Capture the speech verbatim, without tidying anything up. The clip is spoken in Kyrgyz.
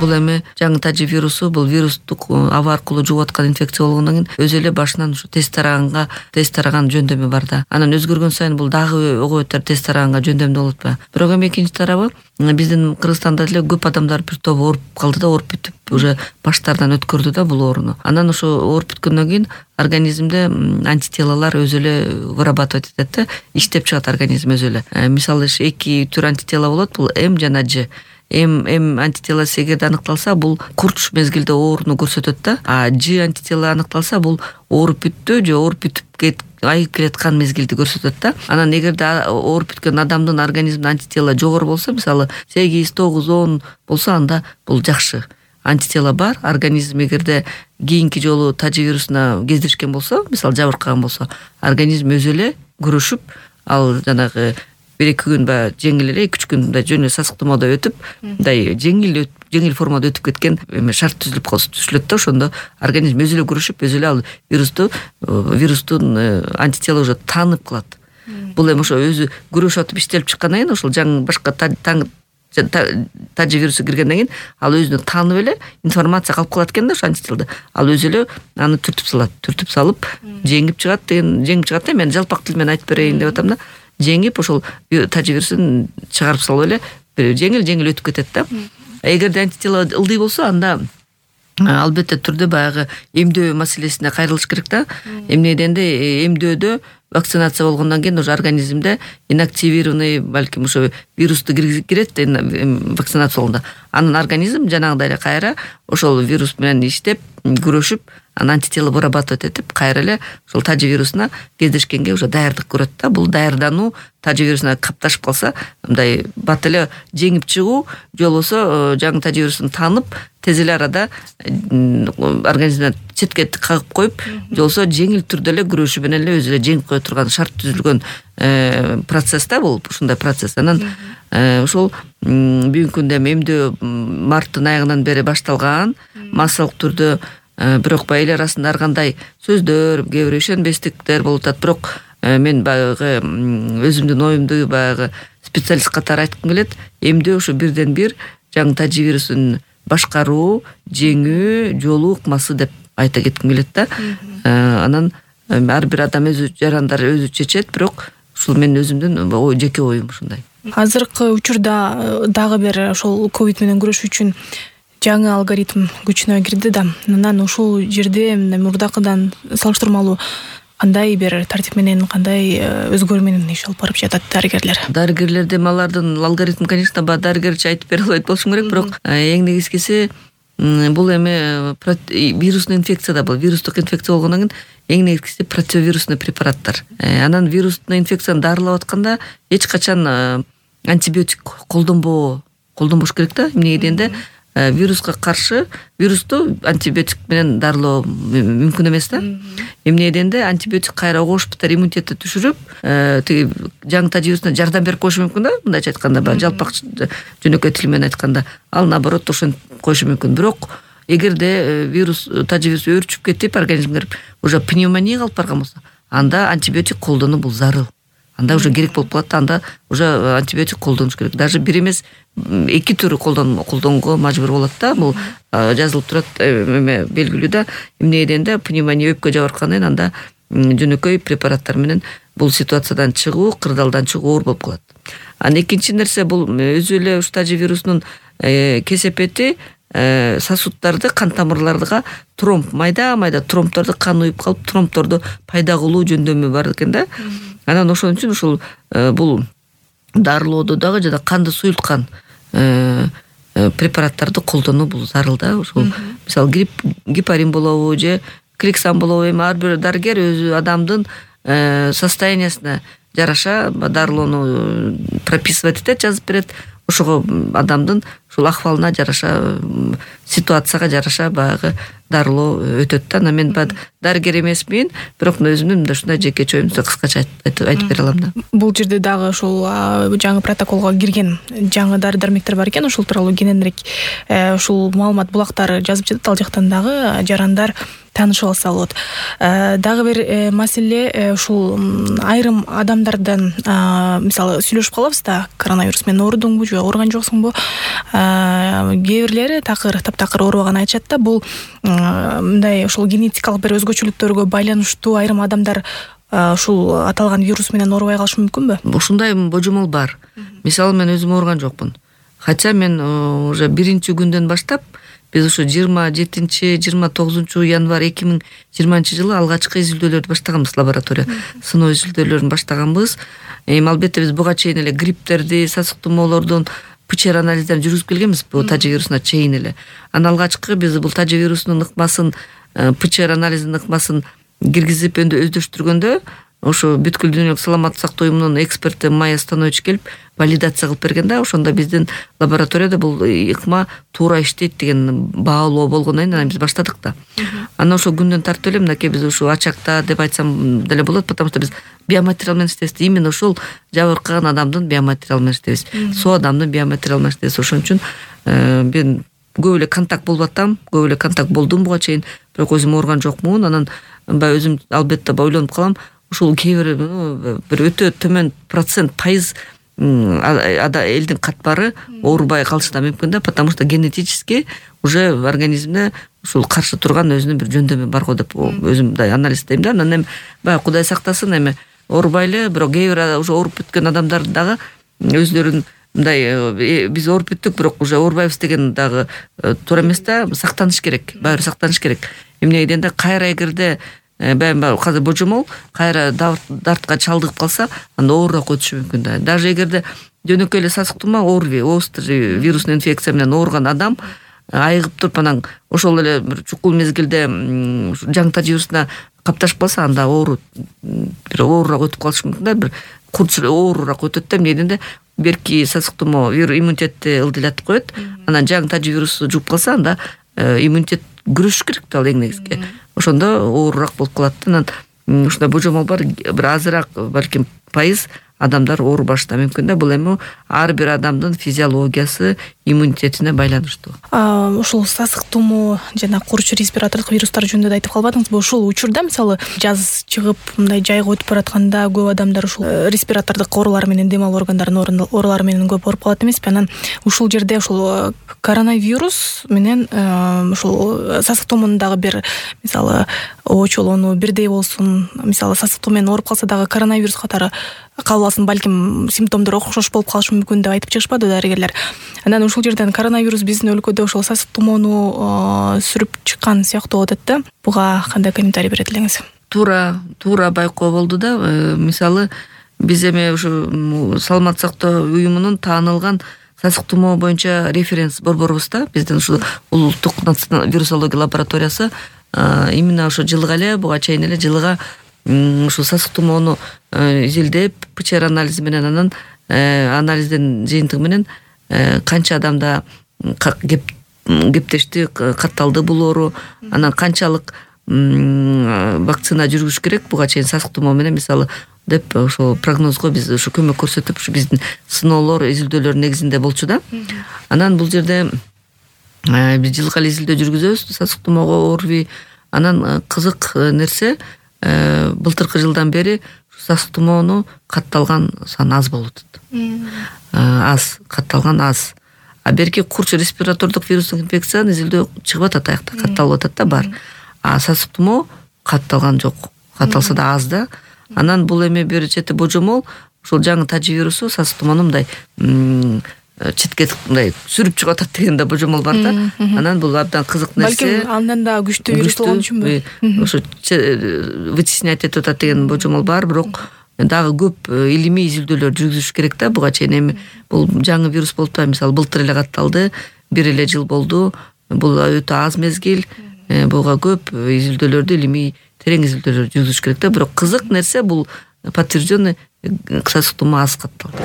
бул эми жаңы тажи вирусу бул вирустук аба аркылуу жугуп аткан инфекция болгондон кийин өзү эле башынан ушу тест тараганга тест тараган жөндөмү бар да. Анан өзгөргөн сайын бул дагы ого бетер тест тараганга жөндөмдүү болот ба. Бирок эми экинчи тарабы биздин Кыргызстанда деле көп адамдар бир тобу ооруп калды да, ооруп бүтүп уже баштардан өткөрдү да бул ооруну. Анан ошо ооруп бүткөндөн кийин организмде антителалар өзү эле вырабатывать этет да, иштеп чыгат организм өзү эле. Мисалы эки түр антитела болот, бул М жана Ж. М М антителасы эгерде аныкталса, бул курч мезгилде ооруну көрсөтөт да. А Ж антитела аныкталса, бул ооруп бүттү же ооруп бүтүп айыгып келаткан мезгилди көрсөтөт да. Анан эгерде ооруп бүткөн адамдын организминде антитела жогору болсо, мисалы сегиз, тогуз, он болсо, анда бул жакшы. Антитела бар, организм эгерде кийинки жолу тажи вирусуна кездешкен болсо, мисалы жабыркаган болсо, организм өзү эле күрөшүп, ал жанагы бир эки күн баягы жеңил эле, эки үч күн мындай жөн эле сасыктоомодо өтүп, мындай жеңил жеңил формада өтүп кеткен эме шарт түзүлүп калса түшүлөт да, ошондо организм өзү эле күрөшүп, өзү эле ал вирусту вирустун антитела уже таанып калат. Бул эми ошо өзү күрөшүп атып иштелип чыккандан кийин, ошол жаңы башка тажи вирусу киргенден кийин ал өзүнө таанып эле информация калып калат экен да, ошо антителде. Ал өзү эле аны түртүп салат, түртүп салып жеңип чыгат деген, жеңип чыгат да, мен жалпак тил менен айтып берейин деп атам да. Жеңип ошол тажи вирусун чыгарып салып эле жеңил-жеңил өтүп кетет да. Эгерде антитела ылдый болсо, анда албетте түрдө баягы эмдөө маселесине кайрылыш керек да. Эмне дегенде эмдөөдө вакцинация болгондон кийин уже организмде инактивированный, балким ошо вирусту кирет вакцинация болгондо. Анын организм жанагыдай эле кайра ошол вирус менен иштеп, күрөшүп, анан антитела вырабатывать этип, кайра эле ошол тажи вирусуна кездешкенге уже даярдык көрөт да. Бул даярдануу тажи вирусуна капташып калса, мындай бат эле жеңип чыгуу, же болбосо жаңы тажи вирусун таанып, тез эле арада организмден четке кагып коюп, же болбосо жеңил түрдө эле күрөшүп менен эле өзү эле жеңип кое турган шарт түзүлгөн процесс да бул, ушундай процесс. Анан ошол бүгүнкү күндө эмдөө марттын аягынан бери башталган, массалык түрдө, бирок баягы эл арасында ар кандай сөздөр, кээ бир ишенбестиктер болуп атат. Бирок мен баягы өзүмдүн оюмду баягы специалист катары айткым келет. Эмдөө ошо бирден бир жаңы тажи вирусун башкаруу, жеңүү жолу ыкмасы деп айта кетким келет да. Анан ар бир адам өзү жарандар өзү чечет, бирок ушул мен өзүмдүн жеке оюм ушундай. Азыркы учурда дагы бир ошол ковид менен күрөшүү үчүн жаңы алгоритм күчүнө кирди да. Анан ушул жерде мурдакыдан салыштырмалуу кандай бир тартип менен, кандай өзгөрүү менен иш алып барып жатат дарыгерлер? Дарыгерлер дем алардын алгоритм, конечно, ба дарыгерчи айтып бере албайт болушум керек, бирок эң негизгиси бул эми вирусный инфекция да, бул вирустук инфекция болгондон кийин эң негизгиси противовирусный препараттар. Анан вирусный инфекцияны дарылап атканда эч качан антибиотик колдонбоо, колдонбош керек да. Эмнеге дегенде вируска каршы вирусту антибиотик менен дарылоо мүмкүн эмес да. Эмне дегенде антибиотик кайра огош битер иммунитетти түшүрүп, тиги жаңы тажи вирусуна жардам берип коюшу мүмкүн да. Мындайча айтканда, жалпак жөнөкөй тил менен айтканда, ал наоборот ошентип коюшу мүмкүн. Бирок эгерде вирус тажи вирус өөрчүп кетип, организмге кирип, уже пневмония калып барган болсо, анда антибиотик колдонуу бул зарыл. Анда уже керек болуп калат, анда уже антибиотик колдонуш керек. Даже бир эмес эки түрү колдонго мажбур болот да. Бул жазылып турат, эме белгилүү да. Эмне дегенде пневмония өпкө жабыркандан кийин анда жөнөкөй препараттар менен бул ситуациядан чыгуу, кырдаалдан чыгуу оор болуп калат. Анан экинчи нерсе, бул өзү эле уш тажи вирусунун кесепети сосуддарды, кан тамырларга тромб, майда-майда тромбторду кан уюп калып, тромбторду пайда кылуу жөндөмү бар экен да. Анан ошон үчүн ушул бул дарылоодо дагы жана канды суюлткан препараттарды колдонуу бул зарыл да. Ушул мисалы грипп, гепарин болобу же кликсан болобу, эми ар бир дарыгер өзү адамдын состояниясына жараша дарылоону прописывать этет, жазып берет. Ошого адамдын ушул акыбалына жараша, ситуацияга жараша баягы дарылоо өтөт да. Мен дарыгер эмесмин, бирок өзүмдүн мындай ушундай жеке чоюмду кыскача айтып бере алам да. Бул жерде дагы ушул жаңы протоколго кирген жаңы дары дармектер бар экен, ушул тууралуу кененирээк ушул маалымат булактары жазып жатат. Ал жактан дагы жарандар таанышып алса болот. Дагы бир маселе ушул айрым адамдардан мисалы сүйлөшүп калабыз да, коронавирус менен оорудуңбу же ооруган жоксуңбу? Кээ бирлери такыр таптакыр оорубаган айтышат да, бул мындай ушул генетикалык бир өзгөчөлүктөргө байланыштуу айрым адамдар ушул аталган вирус менен оорубай калышы мүмкүнбү? Ушундай божомол бар. Мисалы мен өзүм ооруган жокмун. Хотя мен уже биринчи күндөн баштап биз ушу жыйырма жетинчи жыйырма тогузунчу январь эки миң жыйырманчы жылы алгачкы изилдөөлөрдү баштаганбыз, лаборатория сыноо изилдөөлөрүн баштаганбыз. Эми албетте биз буга чейин эле грипптерди, сасык тумоолордун ПЧР анализдерин жүргүзүп келгенбиз бул тажы вирусуна чейин эле. Анан алгачкы биз бул тажы вирусунун ыкмасын, ПЧР анализинин ыкмасын киргизип өндөштүргөндө ошо бүткүл дүйнөлүк саламаттык сактоо уюмунун эксперти Майя Станович келип валидация кылып берген да, ошондо биздин лабораторияда бул ыкма туура иштейт деген баалоо болгондон кийин анан биз баштадык да. Анан ошол күндөн тартып эле мынакей биз ушу ачакта деп айтсам деле болот, потому что биз биоматериал менен иштейбиз. Именно ошол жабыркаган адамдын биоматериалы менен иштейбиз. Соо адамдын биоматериалы менен иштейбиз. Ошон үчүн мен көп эле контакт болуп атам, көп эле контакт болдум буга чейин, бирок өзүм ооруган жокмун. Анан баягы өзүм албетте ойлонуп калам, ушул кээ бир бир өтө төмөн процент пайыз элдин катбары оорубай калышы да мүмкүн да, потому что генетически уже организмде ушул каршы турган өзүнүн бир жөндөмү бар го деп өзүм мындай анализ издейм да. Анан эми баягы Кудай сактасын, эми оорубай эле, бирок кээ бир уже ооруп бүткөн адамдар дагы өзлөрүн мындай биз ооруп бүттүк, бирок уже оорубайбыз деген дагы туура эмес да, сактаныш керек, баары сактаныш керек. Эмнеге дегенде кайра эгерде баягы азыр божомол кайра дартка чалдыгып калса, анда оорураак өтүшү мүмкүн да. Даже эгерде жөнөкөй эле сасык тумоо, ОРВИ, острый вирусный инфекция менен ооруган адам айыгып туруп анан ошол эле бир чукул мезгилде жаңы тажы вирусуна капташып калса, анда оору бир оорураак өтүп калышы мүмкүн да, бир курч оорураак өтөт да. Эмне дегенде берки сасык тумоо иммунитетти ылдыйлатып коет, анан жаңы тажы вирусу жугуп калса, анда иммунитет күрөшүш керек да, ал эң негизги. Ошондо оорураак болуп калат. Анан ушундай божомол бар, бир азыраак балким пайыз адамдар оорубашы да мүмкүн да. Бул эми ар бир адамдын физиологиясы, иммунитетине байланыштуу. Ушул сасык тумоо жана курч респиратордук вирустар жөнүндө да айтып калбадыңызбы? Ушул учурда мисалы жаз чыгып мындай жайга өтүп баратканда көп адамдар ушул респиратордук оорулар менен, дем алуу органдарынын оорулары менен көп ооруп калат эмеспи? Анан ушул жерде ушул коронавирус менен ушул сасык тумоонун дагы бир мисалы очолонуу бирдей болсун, мисалы сасык тумоо менен ооруп калса дагы коронавирус катары кабыл алсын, балким симптомдор окшош болуп калышы мүмкүн деп айтып чыгышпады дарыгерлер. Анан ушул жерден коронавирус биздин өлкөдө ошол сасык тумоону сүрүп чыккан сыяктуу болуп атат да. Буга кандай комментарий берет элеңиз? Туура, туура байкоо болду да. Мисалы биз эми ушу саламаттык сактоо уюмунун таанылган сасык тумоо боюнча референс борборубуз да. Биздин ушул улуттук вирусология лабораториясы именно ошо жылга эле, буга чейин эле жылга ушул сасык тумоону изилдеп, ПЧР анализи менен, анан анализдин жыйынтыгы менен канча адамда кептешти, катталды бул оору, анан канчалык вакцина жүргүзүш керек буга чейин сасык тумоо менен мисалы деп ошо прогнозго биз ушу көмөк көрсөтүп, ушу биздин сыноолор, изилдөөлөр негизинде болчу да. Анан бул жерде биз жылга эле изилдөө жүргүзөбүз сасык тумоого, ОРВИ. Анан кызык нерсе, былтыркы жылдан бери сасык тумоону катталган сан аз болуп атат. Аз, катталган аз. А берки курч респиратордук вирустук инфекциянын изилдөө чыгып атат, аякта катталып атат да, бар. А сасык тумоо катталган жок. Катталса да аз да. Анан бул эми бир чети божомол, ушул жаңы тажы вирусу сасык тумоону мындай четке мындай сүрүп чыгып атат деген да божомол бар да. Анан бул абдан кызык нерсе. Балким андан да күчтүү вирус болгон үчүнбү? Ошо вытеснять этип атат деген божомол бар, бирок дагы көп илимий изилдөөлөр жүргүзүш керек да. Буга чейин эми бул жаңы вирус болуп та, мисалы былтыр эле катталды, бир эле жыл болду. Бул өтө аз мезгил. Буга көп изилдөөлөрдү, илимий терең изилдөөлөр жүргүзүш керек да. Бирок кызык нерсе бул подтвержденный сасык тумоо аз катталды.